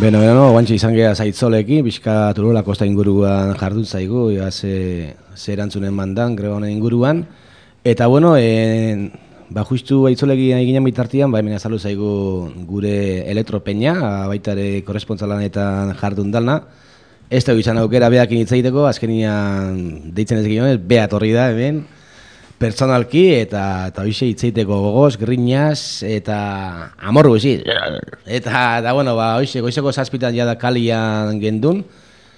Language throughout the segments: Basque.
Beno, guantxe izan geha zaitzolekin, pixka Turuela kosta inguruan jardun zaigu, ze erantzunen mandan, greba honen inguruan. Eta bueno, justu aitzolekin eginen bitartian, hemen azaldu zaigu gure elektropeña, baita ere korrespontzalanetan jardun dalna. Ez dugu izan aukera beakin hitz egiteko, azkenian deitzen ez ginen, bea torri da hemen, pertsonalki eta hoxe hitz egiteko gogoz, grinaz eta amor guzi. Eta bueno, hoxe goizeko 7 jada kalian gendun,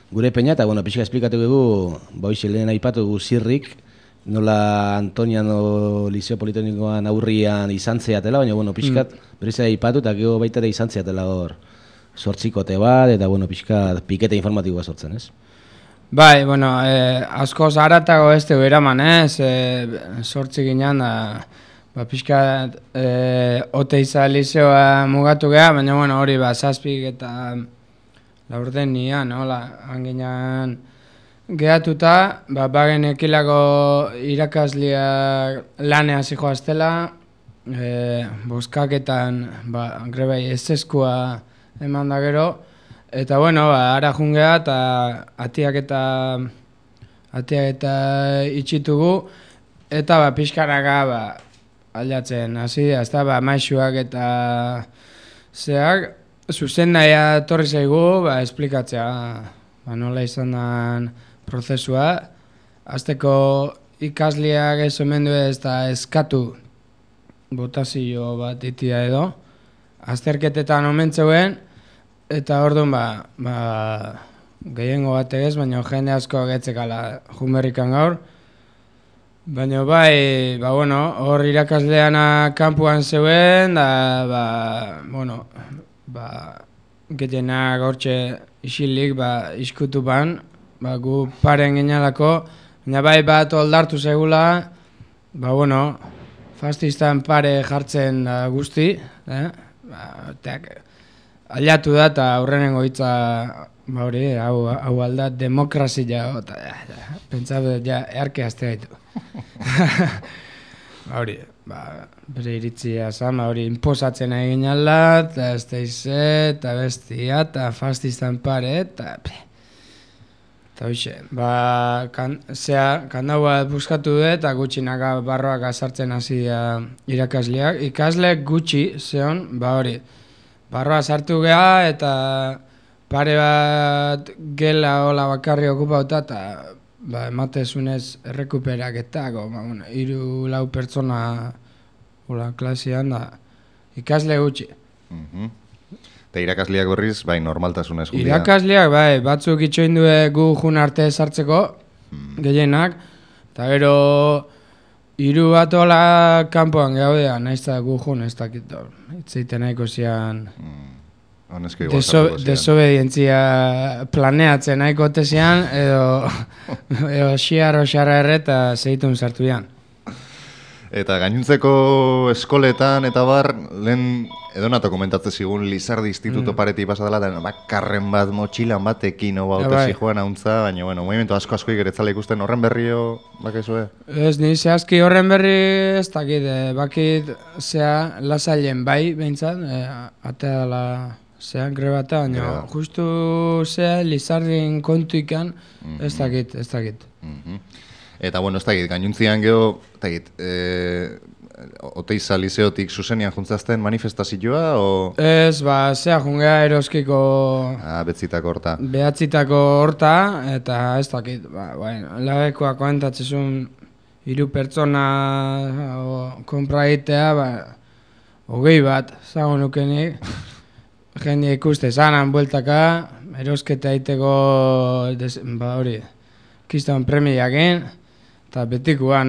gure peña, eta bueno, pixka esplikatu dugu, hoxe lehen aipatu dugu zirrik, nola Antoniano Liceo Politeknikoan aurrian izan zeatela, baina bueno, pixkat berriz aipatu eta gero baita ere izan zeatela hor sortzikote bat, eta bueno, pixkat pikete informatiboa sortzen, ez? Bai, bueno, asko zaratago ez dugu eraman, sortzi ginen, pixkat Oteiza Liceoa mugatu geha, baina bueno, hori 7 eta 4 nian, hanginan gehatuta, bagen ekilako irakasliak lanea zijoaztela, boskaketan grebai ez eskua eman da gero, eta bueno, ara jungea eta atiak eta itxitugu, eta pixkaraka aldatzen hasi, ezta maixuak eta zeak, zuzen naia torri zaigu, esplikatzea, nola izan den prozesua, azteko ikasliak ez omendu ez da eskatu botazio bat itia edo, azterketetan omentzeuen, eta orduan gehiengo bat egez, baina jende asko agetzekala junberrikan gaur. Baina bueno, hor irakasleana kanpuan zeuen, gehienak hortxe isilik iskutu ban, gu paren ginalako, baina bat oldartu zegula, bueno, fastistan pare jartzen guzti, aliatu da eta aurrenengo hitza hau alda demokrazia, pentsatu earke azte gaitu. Bere iritzia zan, inposatzen egin alda, eta ez deize, eta bestia, eta fastistan pare, eta hoxe, kandaua buskatu dut, eta gutxinaka barroak azartzen hasi irakasleak. Ikasleak gutxi, zeon, barroa sartu geha, eta pare bat gela hola bakarri okupauta, eta ematezunez errekuperaketako, 3-4 pertsona klasean da, ikasle gutxi. Eta irakasleak berriz, normaltasunez julia? Irakasleak, batzuk itxoin du gu jun arte sartzeko, gehienak, eta gero 3 bat hola kanpoan gehaudea, nahiz eta gu jun ez dakit, itzeiten nahiko zian desobedientzia planeatzen nahiko tezian, edo xiarro erreta zeitun sartu dian. Eta gainuntzeko eskoletan eta lehen edonato komentatzen zigun Lizardi Instituto pareti pasadela, karren bat, motxilan batekin ote zijoan hauntza, baina bueno, movimentu asko igeretzala ikusten, horren berrio bakezue? Ez, ni zehazki horren berri ez dakit, bakit zea lasailen behintzat, atea dela zean grebata, baina justu zea Lizardin kontu ikan, ez dakit. Eta bueno, ez dakit, gainuntzian geho, Oteiza Liceotik zuzenian juntzazten manifestazioa, o? Ez, zea jungea eroskiko betzitako horta. Behatzitako horta, eta ez dakit, labekoa komentatzezun 3 pertsona konpra egitea, 20 bat, zago nukenik, jende ikuste zanan bueltaka, erosketa egiteko, kiston premiakin, eta betikua,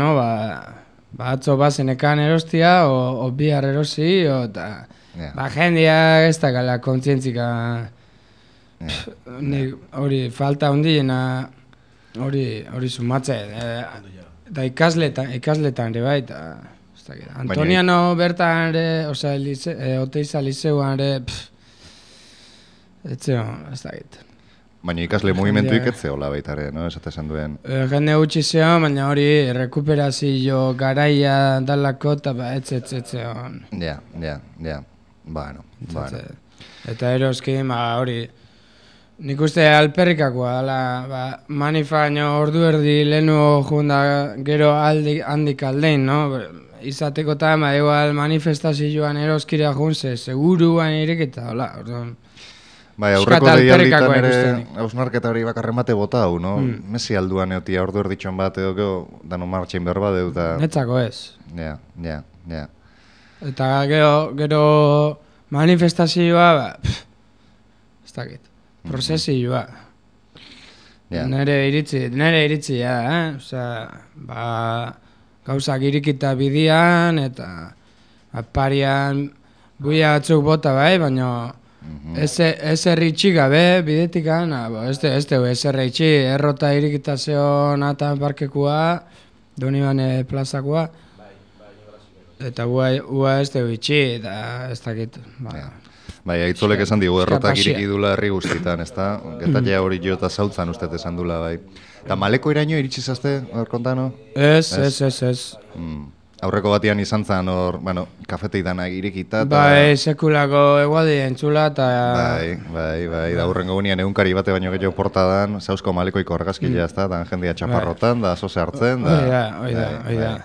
atzo bazenekan erostia, o bihar erosi, eta jendeak ez dakala kontzientzika, hori falta hundiena, hori sumatzen, eta ikasletan ere bai, Antoniano bertan ere, Oteiza Liceuan ere, ez dakit. Baina ikasle movimentuik ez zehola baita ere, esatezen duen? Jende gutxi zeon, baina hori rekuperazio garaia dalako eta ez zeon. Ja, bueno. Eta eroski, hori, nik uste alperrikakoa, manifaino ordu erdi lehenu junda gero handik aldein, no? Izateko eta igual manifestazioan eroskira junze, seguruan ireketa, hola, orduan. Bai, aurreko deialditan ere hausnarketa hori bakarren bate bota hau, no? Messi alduan eotia ordu erditxon bat edo gero dano martxein behar bat edo eta... Netzako ez. Ja. Eta gero manifestazioa, ez dakit, prozesioa. Nere iritzi, osea, gauzak irikita bidian, eta parian buia batzuk bota bai, baina ez erritxi gabe bidetikan, ez dugu ez erritxi, errota irikita zeon atan parkekua, Donibane plazakoa, eta ua ez dugu itxi, eta ez dakit. Bai, aitzolek esan digu, errotak iriki dula herri guztitan, ez da? Getaia hori jo eta zautzan ustez esan dula, bai. Eta maleko iraino iritsi zazte, hor kontano? Ez. Aurreko batian izan zen hor, kafeteidanak irikita. Bai, sekulako eguadi entzula eta... Bai, da hurrengo gunean egunkari bate baino gehiago portadan, zauzko malekoiko argazkilea ez da, da jendia txaparrotan, da zoze hartzen, da... Oida.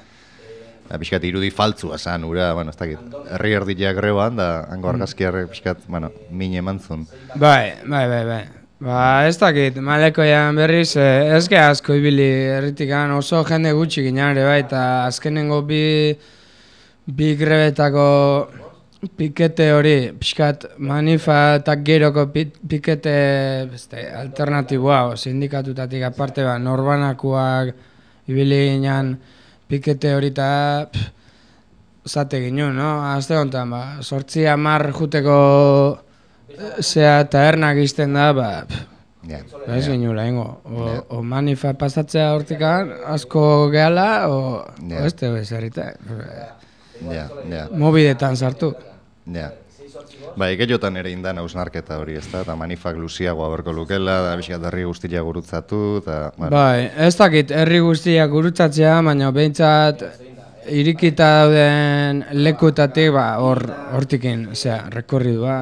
Piskat irudi faltzua zan, ura, ez dakit, herri erdiak greban, da hango argazkiarrek piskat, min emantzun. Bai. Ez dakit, malekoian berriz, ez ge asko ibili erritikan oso jende gutxi ginen ere bai, eta azkenengo bi grebetako pikete hori, piskat manifa eta geroko pikete alternatiboa, sindikatutatik aparte norbanakoak ibili ginen, pikete hori eta zate ginen, no? Azte honetan, 8-10 juteko zea eta ernak izten da, ez ginula, o manifa pasatzea hortikan, asko gehala, o ez dugu ez errita. Mobidetan sartu. Bai, gehiotan ere indan hausnarketa hori, ez da, eta manifak luziagoa berko lukela, da bizkat herri guztia gurutzatu, eta... Bai, ez dakit, herri guztia gurutzatzea, baina behintzat irikita dauden lekutatik, hortikin, rekorridua,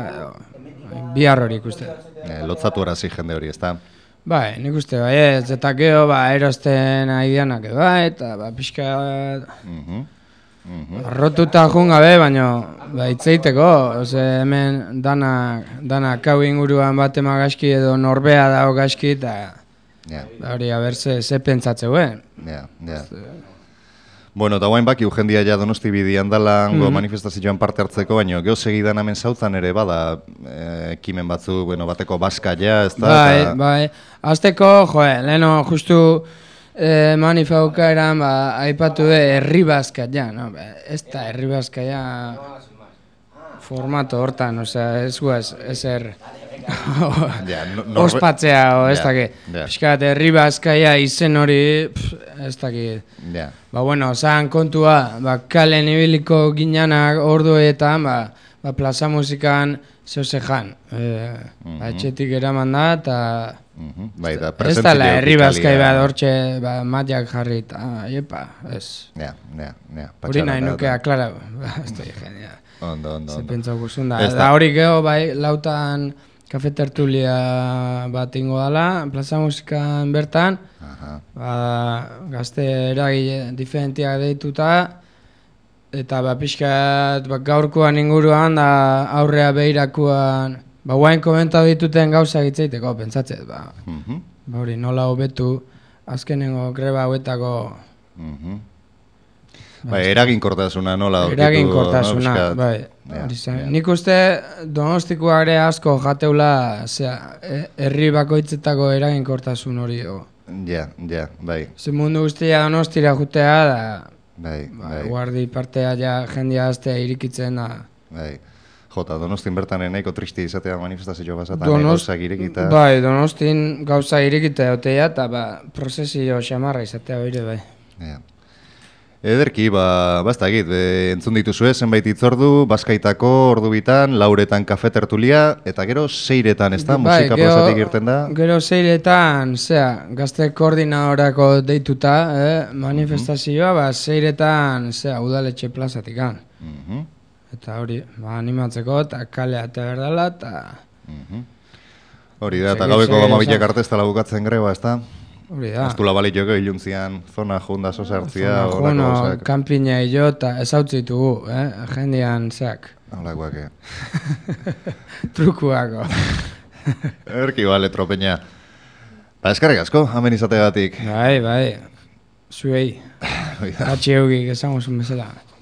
bihar hori ikuste. Lotzatu arazi jende hori, ez da? Bai, nik uste, ez, eta geho, erosten aidianak eta pixka... Arrotuta joan gabe, baina itzeiteko, hemen danak hau inguruan bat emagaski edo norbea dago gaski, eta hori abertze ze pentsatzeu, Bueno, eta guain baki jendia ja Donosti bidian dala manifestazioan parte hartzeko, baina geho segidan hemen zautzan ere bada ekimen batzu, bateko baska ja, ez da? Bai, azteko, leheno justu manifauka eran, aipatu herri baska ja, ez da herri baska ja formato hortan, ez guaz, ezer ospatzea, ez dakit. Piskat, herri baskaia izen hori, ez dakit. Zan kontua, kalen ibiliko ginanak orduetan, plaza musikan zeuzejan. Etxetik eraman da, eta ez dala herri baskai bat hortxe matiak jarri, eta ez. Hori nahi nuke aklara, ez da genia. Ondo. Ze pentsau guzun da. Da hori geho, lautan kafe tertulia bat ingo dala, plaza musikan bertan, gazte eragile diferentiak deituta, eta pixkat gaurkoan inguruan, aurrea behirakoan, guain komentau dituten gauzak itzeiteko, pentsatzet, hori nola hobetu, azkenengo greba hauetako... Eraginkortasuna nola aurkitu... Eraginkortasuna, bai. Nik uste Donostikoa ere asko jateula herri bakoitzetako eraginkortasun hori. Bai. Ze mundu guztia Donostira jutea da... Bai. Guardi partea jendia aztea irikitzen da... Bai. Jota, Donostin bertan nahiko tristi izatea manifestazio basatan gauzak irekita... Bai, Donostin gauza irekita egotea eta prozesio xamarra izatea hori, bai. Ederki, ez da egit, entzun dituzue zenbait itzordu, Bazkaitako ordu bitan, lauretan kafe tertulia, eta gero seiretan, ez da, musika plazatik irten da? Gero seiretan, gazte koordinadorako deituta, manifestazioa, seiretan, udaletxe plazatik. Eta hori, animatzeko, eta kalea eta berdala, eta... Hori da, eta gaueko gamabilek arte ez dela bukatzen greba, ez da? Hori da. Ez du labalit joko iluntzian, zona junda sozartzia, horako gauzak. Kampina jo, eta ez hau zitugu, jendean zeak. Holakoak, Trukuako. Erki bale, tropeña. Ba, eskarrik asko, hamen izategatik. Bai, zuei. Atxe eugik esango zuen bezala.